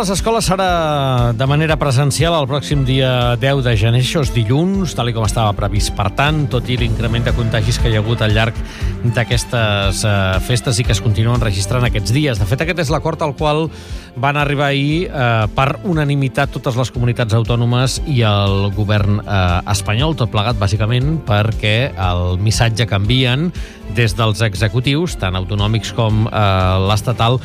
les escoles serà de manera presencial el pròxim dia 10 de gener, això és dilluns, tal com estava previst. Per tant, tot i l'increment de contagis que hi ha hagut al llarg d'aquestes festes i que es continuen registrant aquests dies. De fet, aquest és l'acord al qual van arribar ahir per unanimitat totes les comunitats autònomes i el govern espanyol, tot plegat bàsicament perquè el missatge que envien des dels executius, tant autonòmics com l'estatal,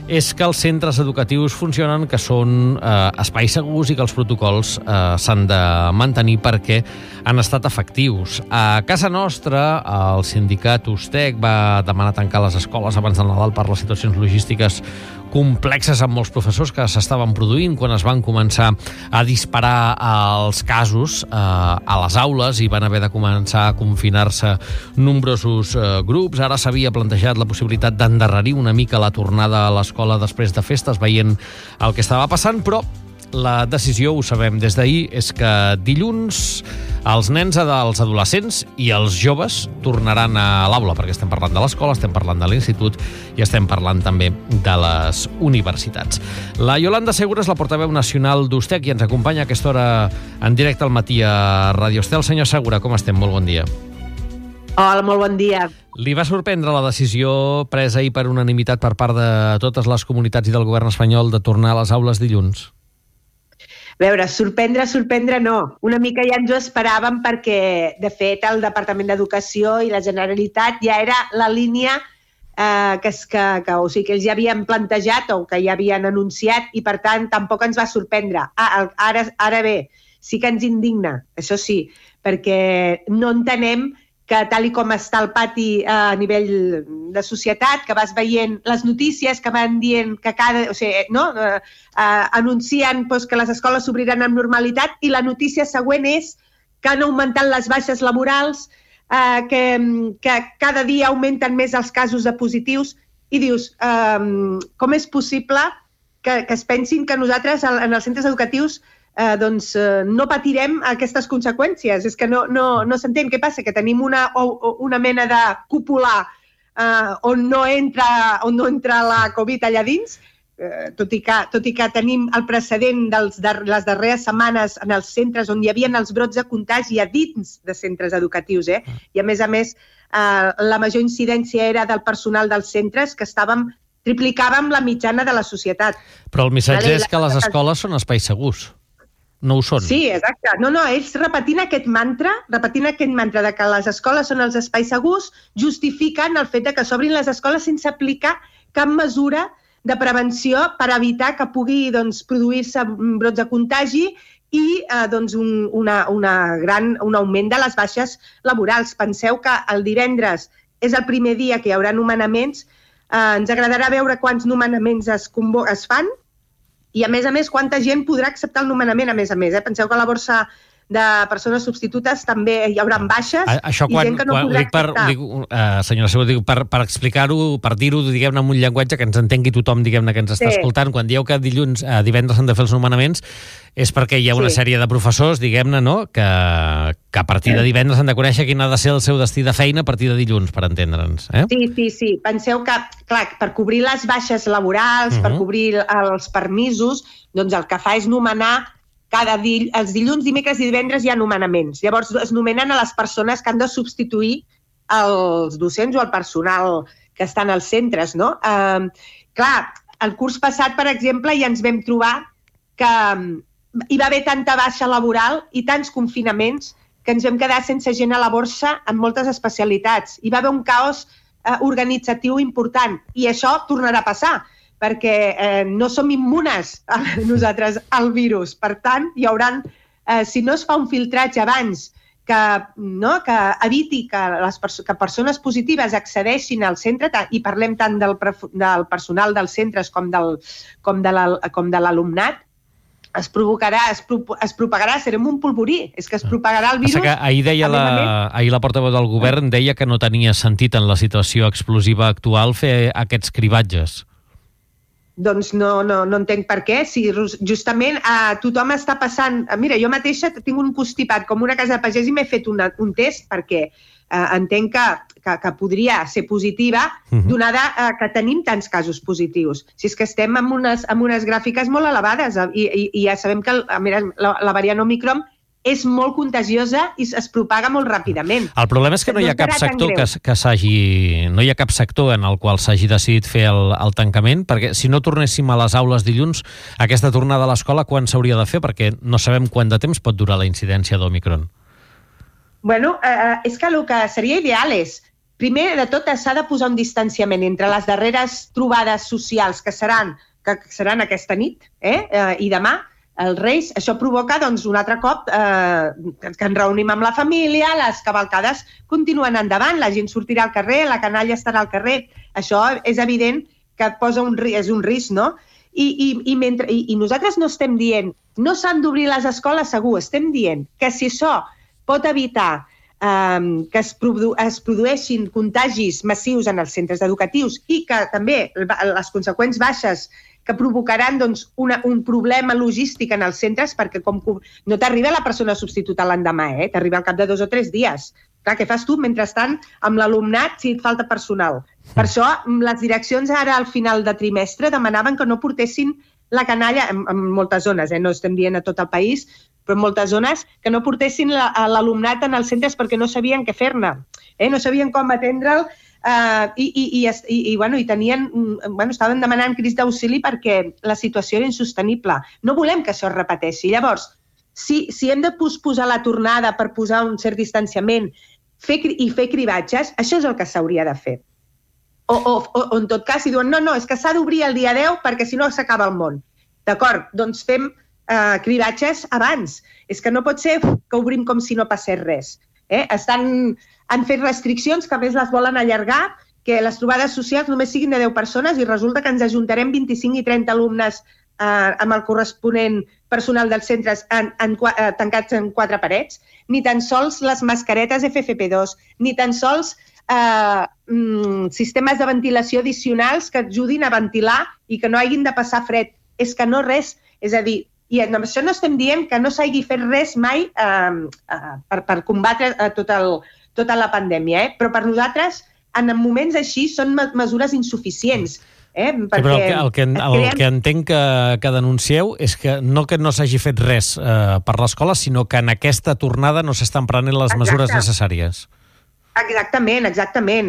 és que els centres educatius funcionen, que són espais segurs i que els protocols s'han de mantenir perquè han estat efectius. A casa nostra, el sindicat USTEC va demanar tancar les escoles abans del Nadal per les situacions logístiques complexes amb molts professors que s'estaven produint quan es van començar a disparar els casos a les aules i van haver de començar a confinar-se nombrosos grups. Ara s'havia plantejat la possibilitat d'endarrerir una mica la tornada a l'escola després de festes, veient el que estava passant, però la decisió, ho sabem des d'ahir, és que dilluns els nens, els adolescents i els joves tornaran a l'aula, perquè estem parlant de l'escola, estem parlant de l'institut i estem parlant també de les universitats. La Yolanda Segura és la portaveu nacional d'USTEC i ens acompanya a aquesta hora en directe al matí a Radio Estel. Senyor Segura, com estem? Molt bon dia. Hola, molt bon dia. Li va sorprendre la decisió presa ahir per unanimitat per part de totes les comunitats i del govern espanyol de tornar a les aules dilluns? A veure, sorprendre no. Una mica ja ens ho esperàvem perquè, de fet, el Departament d'Educació i la Generalitat ja era la línia que ells ja havien plantejat o que ja havien anunciat i, per tant, tampoc ens va sorprendre. Ara bé, sí que ens indigna, això sí, perquè no entenem que tal i com està el pati a nivell de societat, que vas veient les notícies que van dient que anuncien que les escoles s'obriran amb normalitat i la notícia següent és que han augmentat les baixes laborals, que cada dia augmenten més els casos de positius i dius, com és possible que es pensin que nosaltres en els centres educatius no patirem aquestes conseqüències? És que no s'entén. Què passa? Que tenim una mena de cúpula on no entra la Covid allà dins, tot i que tenim el precedent de les darreres setmanes en els centres on hi havia els brots de contagi a dins de centres educatius. I a més, la major incidència era del personal dels centres, que triplicàvem la mitjana de la societat. Però el missatge és que les escoles són espais segurs. No ho són. Sí, exacte. Ells repetint aquest mantra de que les escoles són els espais segurs, justifiquen el fet de que s'obrin les escoles sense aplicar cap mesura de prevenció per evitar que pugui produir-se brots de contagi i un augment de les baixes laborals. Penseu que el divendres és el primer dia que hi haurà nomenaments. Ens agradarà veure quants nomenaments es fan, i, a més, quanta gent podrà acceptar el nomenament, a més. Penseu que a la borsa de persones substitutes també hi haurà baixes i gent que no podrà acceptar. Senyora Segura, per explicar-ho, per dir-ho, diguem-ne, amb un llenguatge que ens entengui tothom, diguem-ne, que ens està escoltant, quan dieu que divendres s'han de fer els nomenaments, és perquè hi ha una sèrie de professors, diguem-ne, no?, que a partir de divendres han de conèixer quin ha de ser el seu destí de feina a partir de dilluns, per entendre'ns. Sí. Penseu que, clar, per cobrir les baixes laborals, per cobrir els permisos, doncs el que fa és nomenar els dilluns, dimecres i divendres hi ha nomenaments. Llavors es nomenen a les persones que han de substituir els docents o el personal que estan als centres, no? Clar, el curs passat, per exemple, ja ens vam trobar que hi va haver tanta baixa laboral i tants confinaments que ens vam quedar sense gent a la borsa en moltes especialitats. Hi va haver un caos organitzatiu important i això tornarà a passar, perquè no som immunes nosaltres al virus. Per tant, hi hauran, si no es fa un filtratge abans que eviti que persones positives accedeixin al centre, i parlem tant del personal dels centres com de l'alumnat, es propagarà, serem un polvorí, és que es propagarà el virus. Ahir la portaveu del govern deia que no tenia sentit en la situació explosiva actual fer aquests cribatges. Doncs no entenc per què. Si justament tothom està passant... Mira, jo mateixa tinc un constipat com una casa de pagès i m'he fet un test perquè entenc que podria ser positiva, donada que tenim tants casos positius. Si és que estem amb unes gràfiques molt elevades i ja sabem que la variant Omicron és molt contagiosa i es propaga molt ràpidament. El problema és que no hi ha cap sector no hi ha cap sector en el qual s'hagi decidit fer el tancament, perquè si no tornéssim a les aules dilluns, aquesta tornada a l'escola quan s'hauria de fer? Perquè no sabem quant de temps pot durar la incidència d'Omicron. Bueno, és que el que seria ideal és, primer de tot, s'ha de posar un distanciament entre les darreres trobades socials que seran aquesta nit i demà, els Reis. Això provoca, doncs, un altre cop que ens reunim amb la família, les cavalcades continuen endavant, la gent sortirà al carrer, la canalla estarà al carrer. Això és evident que és un risc, no? I nosaltres no estem dient no s'han d'obrir les escoles, segur, estem dient que si això pot evitar que es produeixin contagis massius en els centres educatius i que també les conseqüents baixes que provocaran un problema logístic en els centres, perquè no t'arriba la persona substituta l'endemà, t'arriba al cap de 2 o 3 dies. Clar, què fas tu mentrestant amb l'alumnat si et falta personal? Per això les direccions ara al final de trimestre demanaven que no portessin la canalla en moltes zones, no estem dient a tot el país, però en moltes zones, que no portessin l'alumnat en els centres perquè no sabien què fer-ne, no sabien com atendre'l, i tenien, estaven demanant crits d'auxili perquè la situació era insostenible. No volem que això es repeteixi. Llavors, si hem de posposar la tornada per posar un cert distanciament i fer cribatges, això és el que s'hauria de fer. O en tot cas, si diuen, no, és que s'ha d'obrir el dia 10 perquè si no s'acaba el món. D'acord, doncs fem cribatges abans. És que no pot ser que obrim com si no passés res. Han fet restriccions que a més les volen allargar, que les trobades socials només siguin de 10 persones i resulta que ens ajuntarem 25 i 30 alumnes amb el corresponent personal dels centres tancats en 4 parets, ni tan sols les mascaretes FFP2, ni tan sols sistemes de ventilació addicionals que ajudin a ventilar i que no hagin de passar fred. És que no res. És a dir, i amb això no estem dient que no s'hagi fet res mai per combatre tota la pandèmia, però per nosaltres, en moments així, són mesures insuficients. Però el que entenc que denuncieu és que no s'hagi fet res per l'escola, sinó que en aquesta tornada no s'estan prenent les mesures necessàries. Exactament.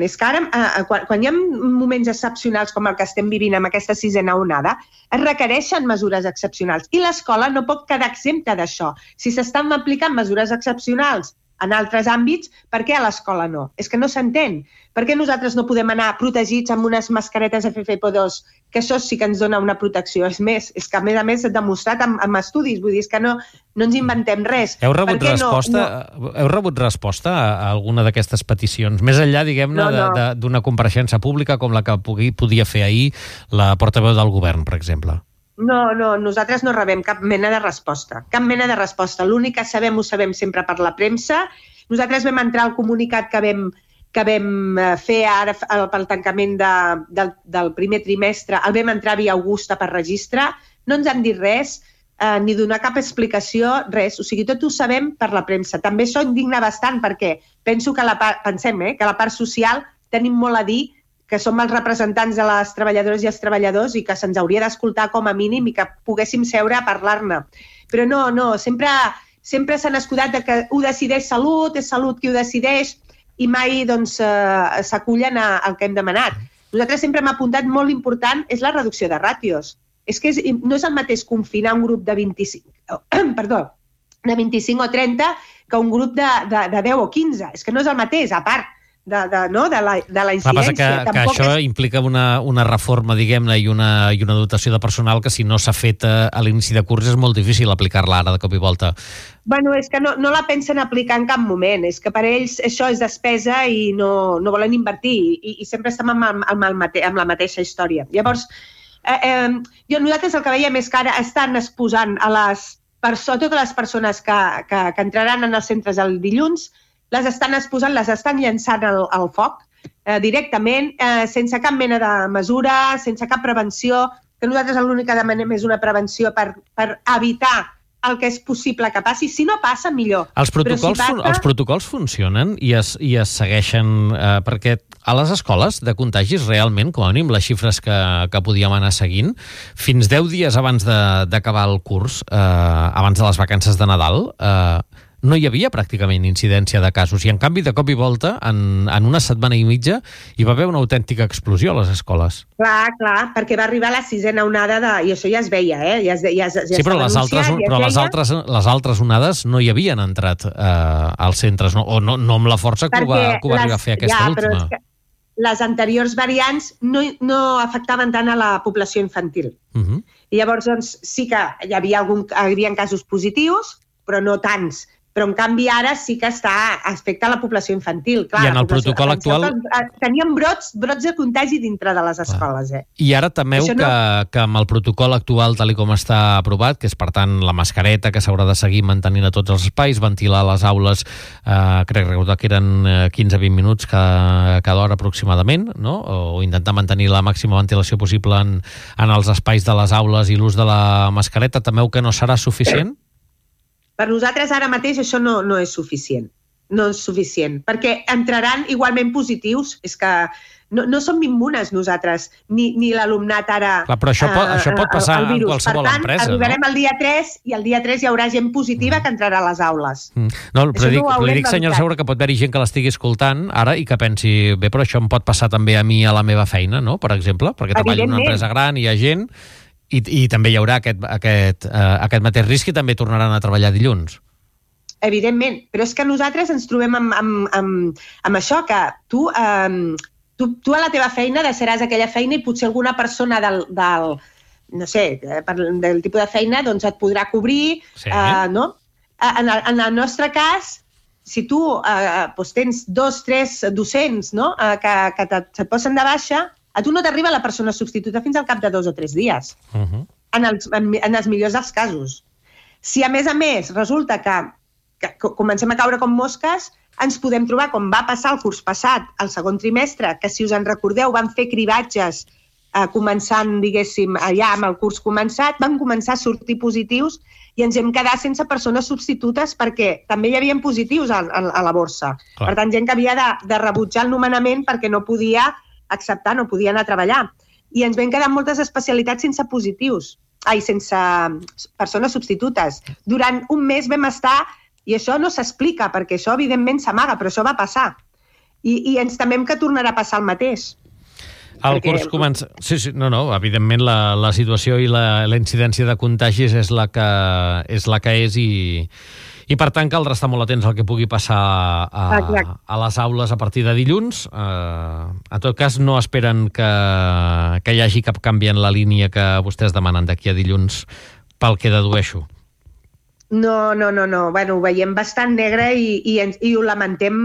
És que ara, quan hi ha moments excepcionals com el que estem vivint amb aquesta 6a onada, es requereixen mesures excepcionals i l'escola no pot quedar exempta d'això. Si s'estan aplicant mesures excepcionals en altres àmbits, per què a l'escola no? És que no s'entén. Per què nosaltres no podem anar protegits amb unes mascaretes FFP2, que això sí que ens dona una protecció? És més, és que a més s'ha demostrat amb estudis, vull dir, és que no ens inventem res. Heu rebut resposta a alguna d'aquestes peticions? Més enllà, diguem-ne, d'una compareixença pública com la que podia fer ahir la portaveu del govern, per exemple. No, nosaltres no rebem cap mena de resposta. Cap mena de resposta. L'únic que sabem ho sabem sempre per la premsa. Nosaltres vam entrar al comunicat que vam fer ara pel tancament del primer trimestre, el vam entrar via Augusta per registre. No ens han dit res, ni donar cap explicació, res. O sigui, tot ho sabem per la premsa. També això indigna bastant perquè penso que que la part social tenim molt a dir, que som els representants de les treballadores i els treballadors i que se'ns hauria d'escoltar com a mínim i que poguéssim seure a parlar-ne. Però no, sempre s'han escudat que ho decideix Salut, és Salut qui ho decideix i mai s'acullen al que hem demanat. Nosaltres sempre hem apuntat molt important és la reducció de ràtios. És que no és el mateix confinar un grup de 25 o 30 que un grup de 10 o 15. És que no és el mateix, a part de la incidència. Que això implica una reforma, diguem-ne, i una dotació de personal que si no s'ha fet a l'inici de curs és molt difícil aplicar-la ara de cop i volta. Bueno, és que no la pensen aplicar en cap moment. És que per ells això és despesa i no volen invertir i sempre estem amb la mateixa història. Llavors, nosaltres el que veiem és que ara estan exposant a totes les persones que entraran en els centres el dilluns, les estan exposant, les estan llançant al foc directament, sense cap mena de mesura, sense cap prevenció, que nosaltres l'únic que demanem és una prevenció per evitar el que és possible que passi. Si no passa, millor. Els protocols funcionen i es segueixen, perquè a les escoles de contagis realment, com a mínim les xifres que podíem anar seguint, fins 10 dies abans d'acabar el curs, abans de les vacances de Nadal, no hi havia pràcticament incidència de casos i en canvi de cop i volta en una setmana i mitja hi va haver una autèntica explosió a les escoles. Clar, perquè va arribar la 6ª onada i això ja es veia, sí, però les altres onades no hi havien entrat als centres, o no amb la força que ho va arribar a fer aquesta última. Però és que les anteriors variants no afectaven tant a la població infantil. I llavors doncs, sí que hi havia casos positius, però no tants. Però en canvi ara sí que afecta a la població infantil. Clar, i en el protocol actual... Teníem brots de contagi dintre de les escoles. I ara temeu que amb el protocol actual, tal com està aprovat, que és per tant la mascareta que s'haurà de seguir mantenint a tots els espais, ventilar les aules, crec recordar que eren 15-20 minuts cada hora aproximadament, no? O intentar mantenir la màxima ventilació possible en els espais de les aules i l'ús de la mascareta, temeu que no serà suficient? Per nosaltres ara mateix això no és suficient. No és suficient, perquè entraran igualment positius. És que no som immunes nosaltres, ni l'alumnat ara... Clar, però això pot passar en qualsevol empresa, no? Arribarem al dia 3 i el dia 3 hi haurà gent positiva que entrarà a les aules. No, però li dic, senyora Segura, que pot haver-hi gent que l'estigui escoltant ara i que pensi, bé, però això em pot passar també a mi a la meva feina, no?, per exemple, perquè treballo en una empresa gran i hi ha gent... I també hi haurà aquest mateix risc i també tornaran a treballar dilluns. Evidentment, però és que nosaltres ens trobem amb això, que tu a la teva feina deixaràs aquella feina i potser alguna persona del tipus de feina doncs et podrà cobrir, no? En el nostre cas, si tu tens 2-3 docents que et posen de baixa, a tu no t'arriba la persona substituta fins al cap de 2 o 3 dies, en els millors dels casos. Si a més resulta que comencem a caure com mosques, ens podem trobar, com va passar el curs passat, el segon trimestre, que si us en recordeu van fer cribatges començant, diguéssim, allà amb el curs començat, van començar a sortir positius i ens hem quedat sense persones substitutes perquè també hi havia positius a la borsa. Per tant, gent que havia de rebutjar el nomenament perquè no podia acceptar, no podia anar a treballar. I ens vam quedar moltes especialitats sense persones substitutes. Durant un mes vam estar, i això no s'explica, perquè això evidentment s'amaga, però això va passar. I ens temem que tornarà a passar el mateix. El curs comença... Sí, evidentment la situació i la incidència de contagis és la que és i per tant caldrà estar molt atents al que pugui passar a les aules a partir de dilluns. En tot cas, no esperen que hi hagi cap canvi en la línia que vostès demanen d'aquí a dilluns, pel que dedueixo. No. Bueno, ho veiem bastant negre i ho lamentem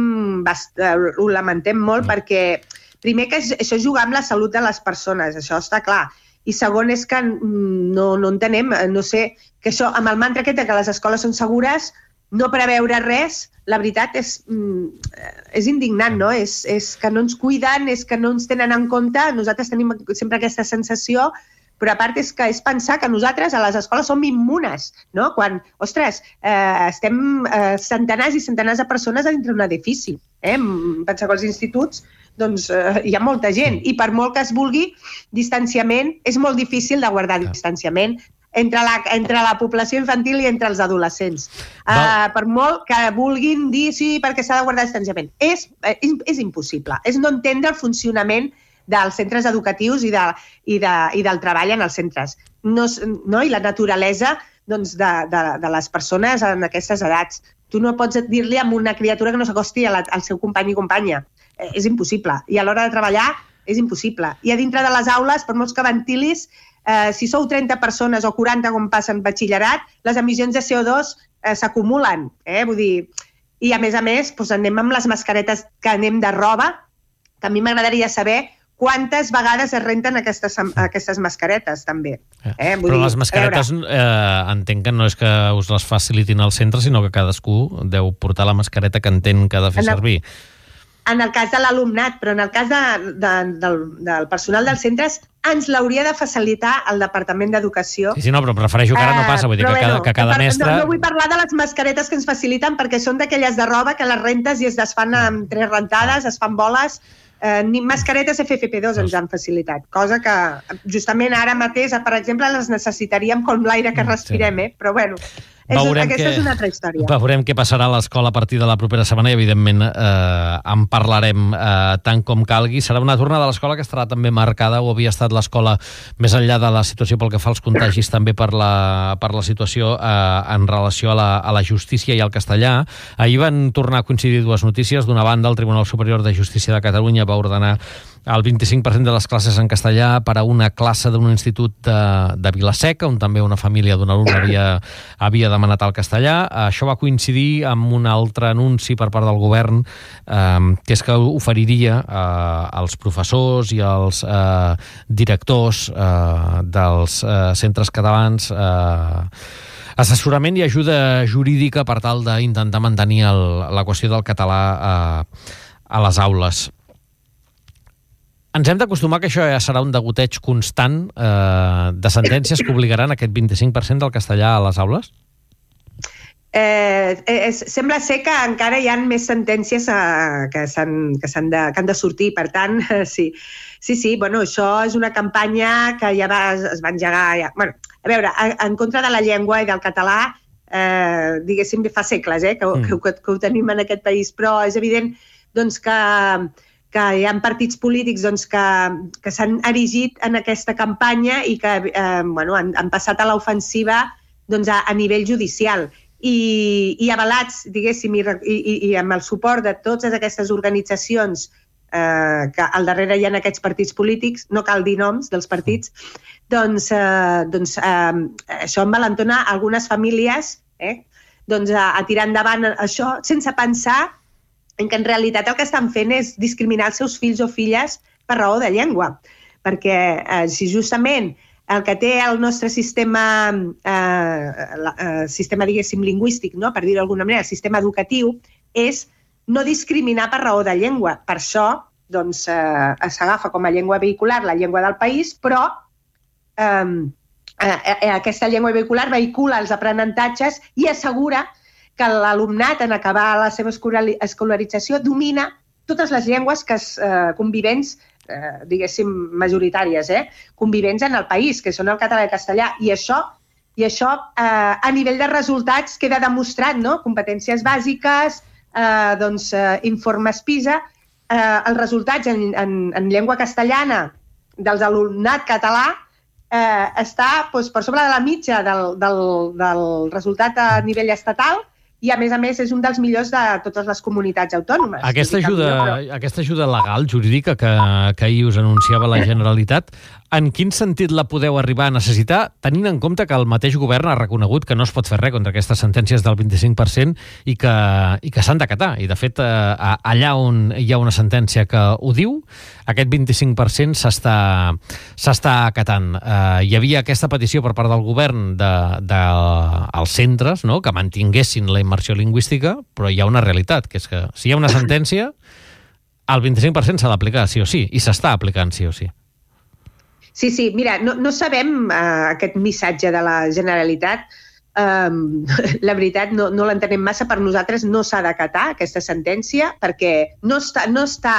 molt perquè, primer, que això és jugar amb la salut de les persones, això està clar. I segon és que no entenem, no sé, que això, amb el mantra aquest que les escoles són segures, no preveure res, la veritat és indignant, no? És que no ens cuiden, és que no ens tenen en compte, nosaltres tenim sempre aquesta sensació, però a part és que és pensar que nosaltres a les escoles som immunes, no? Quan, ostres, estem centenars i centenars de persones dintre d'un edifici. Pensar que als instituts doncs hi ha molta gent i per molt que es vulgui distanciament, és molt difícil de guardar distanciament entre la població infantil i entre els adolescents. Per molt que vulguin dir sí, perquè s'ha de guardar distanciament. És impossible. És no entendre el funcionament dels centres educatius i del treball en els centres. I la naturalesa de les persones en aquestes edats. Tu no pots dir-li a una criatura que no s'acosti al seu company i companya. És impossible. I a l'hora de treballar és impossible. I a dintre de les aules, per molts que ventilis, si sou 30 persones o 40 com passa en batxillerat, les emissions de CO2 s'acumulen. Vull dir, i a més, anem amb les mascaretes que anem de roba, que a mi m'agradaria saber quantes vegades es renten aquestes mascaretes, també. Però les mascaretes entenc que no és que us les facilitin al centre, sinó que cadascú deu portar la mascareta que entén que ha de fer servir. en el cas de l'alumnat, però en el cas del personal dels centres ens l'hauria de facilitar el Departament d'Educació. Sí, no, però prefereixo que ara no passa, vull dir que cada mestre... No vull parlar de les mascaretes que ens faciliten perquè són d'aquelles de roba que les rentes i es desfan amb 3 rentades, es fan boles. Ni mascaretes FFP2 ens han facilitat, cosa que justament ara mateix, per exemple, les necessitaríem com l'aire que respirem, però bueno... Aquesta és una altra història. Veurem què passarà a l'escola a partir de la propera setmana i, evidentment, en parlarem tant com calgui. Serà una tornada a l'escola que estarà també marcada, o havia estat l'escola, més enllà de la situació pel que fa als contagis, també per la situació en relació a la justícia i al castellà. Ahir van tornar a coincidir dues notícies. D'una banda, el Tribunal Superior de Justícia de Catalunya va ordenar el 25% de les classes en castellà per a una classe d'un institut de Vila-seca, on també una família d'un alumne havia demanat el castellà. Això va coincidir amb un altre anunci per part del govern, que és que oferiria als professors i als directors dels centres catalans assessorament i ajuda jurídica per tal d'intentar mantenir la qüestió del català a les aules. Ens hem d'acostumar que això ja serà un degoteig constant de sentències que obligaran aquest 25% del castellà a les aules? Sembla ser que encara hi ha més sentències que han de sortir, per tant, sí, bueno, això és una campanya que ja es va engegar, bueno, a veure, en contra de la llengua i del català, diguéssim, fa segles que ho tenim en aquest país, però és evident doncs, que hi ha partits polítics doncs, que s'han erigit en aquesta campanya i que han passat a l'ofensiva doncs, a nivell judicial. I avalats, diguéssim, i amb el suport de totes aquestes organitzacions que al darrere hi ha aquests partits polítics, no cal dir noms dels partits, doncs això envalentona algunes famílies a tirar endavant això sense pensar en què en realitat el que estan fent és discriminar els seus fills o filles per raó de llengua. Perquè si justament el que té el nostre sistema diguéssim, lingüístic, no? Per dir-ho d'alguna manera, el sistema educatiu, és no discriminar per raó de llengua. Per això doncs, s'agafa com a llengua vehicular la llengua del país, però aquesta llengua vehicular vehicula els aprenentatges i assegura que l'alumnat, en acabar la seva escolarització, domina totes les llengües convivents, diguéssim, majoritàries, convivents en el país, que són el català i el castellà. I això a nivell de resultats queda demostrat, no? Competències bàsiques, informes PISA, els resultats en llengua castellana dels alumnat català està per sobre de la mitja del resultat a nivell estatal i, a més, és un dels millors de totes les comunitats autònomes. Aquesta ajuda legal, jurídica, que ahir us anunciava la Generalitat, en quin sentit la podeu arribar a necessitar, tenint en compte que el mateix govern ha reconegut que no es pot fer res contra aquestes sentències del 25% i que s'han d'acatar? I, de fet, allà on hi ha una sentència que ho diu, aquest 25% s'està acatant. Hi havia aquesta petició per part del govern dels centres, no?, que mantinguessin la immersió lingüística, però hi ha una realitat, que és que si hi ha una sentència, el 25% s'ha d'aplicar sí o sí, i s'està aplicant sí o sí. Sí, mira, no sabem aquest missatge de la Generalitat. La veritat, no l'entenem massa. Per nosaltres no s'ha d'acatar aquesta sentència perquè no està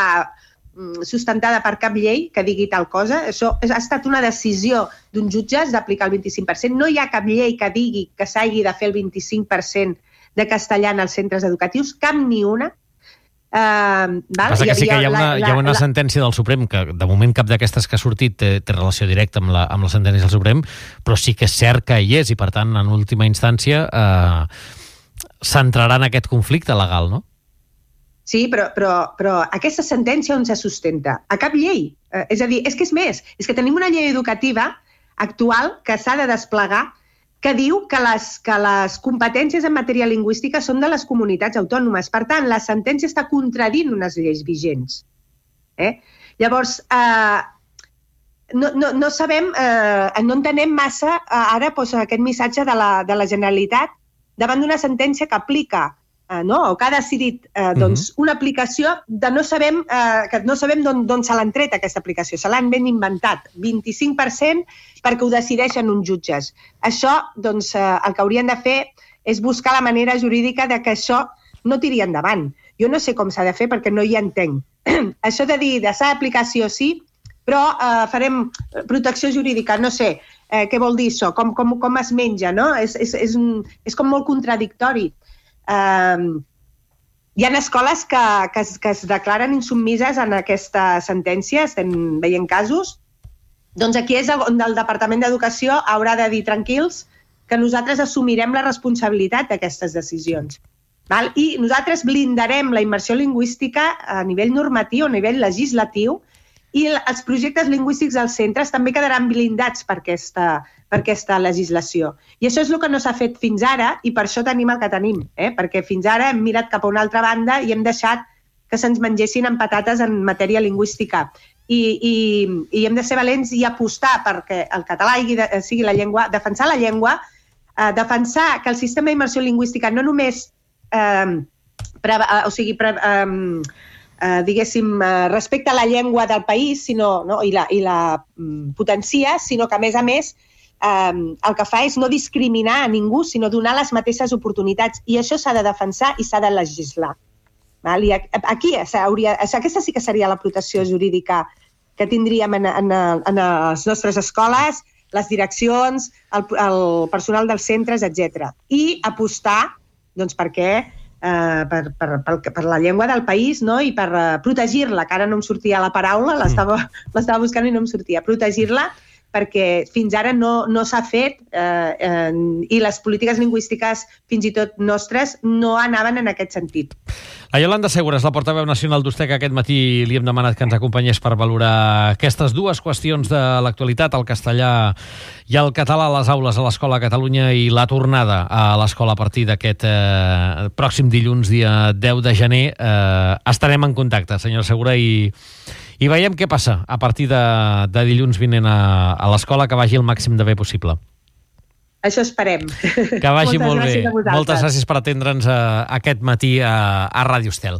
sustentada per cap llei que digui tal cosa. Això ha estat una decisió d'un jutge d'aplicar el 25%. No hi ha cap llei que digui que s'hagi de fer el 25% de castellà en els centres educatius, cap ni una. Passa que sí que hi ha una sentència del Suprem que de moment cap d'aquestes que ha sortit té relació directa amb la sentència del Suprem, però sí que és cert que hi és i per tant en última instància s'entrarà en aquest conflicte legal, no? Sí, però aquesta sentència on se sustenta? A cap llei. És a dir, és que és més, és que tenim una llei educativa actual que s'ha de desplegar que diu que les competències en matèria lingüística són de les comunitats autònomes. Per tant, la sentència està contradint unes lleis vigents. Llavors, no sabem, no entenem massa ara aquest missatge de la Generalitat davant d'una sentència que aplica o que ha decidit una aplicació que no sabem d'on se l'han tret, aquesta aplicació. Se l'han ben inventat. 25% perquè ho decideixen uns jutges. Això, doncs, el que haurien de fer és buscar la manera jurídica de que això no tiri endavant. Jo no sé com s'ha de fer perquè no hi entenc. Això de dir, de s'ha d'aplicació sí, però farem protecció jurídica, no sé, què vol dir això, com es menja, no? És com molt contradictori. Hi ha escoles que es declaren insubmises en aquesta sentència, estem veient casos, doncs aquí és on el Departament d'Educació haurà de dir tranquils que nosaltres assumirem la responsabilitat d'aquestes decisions. I nosaltres blindarem la immersió lingüística a nivell normatiu, a nivell legislatiu, i els projectes lingüístics als centres també quedaran blindats per aquesta legislació. I això és el que no s'ha fet fins ara i per això tenim el que tenim, perquè fins ara hem mirat cap a una altra banda i hem deixat que se'ns mengessin amb patates en matèria lingüística. I hem de ser valents i apostar perquè el català sigui la llengua, defensar la llengua, defensar que el sistema d'immersió lingüística no només respecta la llengua del país i la potencia, sinó que, a més, el que fa és no discriminar a ningú, sinó donar les mateixes oportunitats. I això s'ha de defensar i s'ha de legislar. I aquí aquesta sí que seria la protecció jurídica que tindríem en les nostres escoles, les direccions, el personal dels centres, etc. I apostar per la llengua del país, i per protegir-la, que ara no em sortia la paraula, l'estava buscant i no em sortia, protegir-la, perquè fins ara no s'ha fet i les polítiques lingüístiques, fins i tot nostres, no anaven en aquest sentit. A Yolanda Segures, la portaveu nacional d'USTEC, aquest matí li hem demanat que ens acompanyés per valorar aquestes dues qüestions de l'actualitat, el castellà i el català a les aules a l'Escola a Catalunya i la tornada a l'escola a partir d'aquest pròxim dilluns, dia 10 de gener. Estarem en contacte, senyora Segura, i veiem què passa a partir de dilluns vinent a l'escola, que vagi el màxim de bé possible. Això esperem. Que vagi molt bé. Moltes gràcies per atendre'ns aquest matí a Ràdio Estel.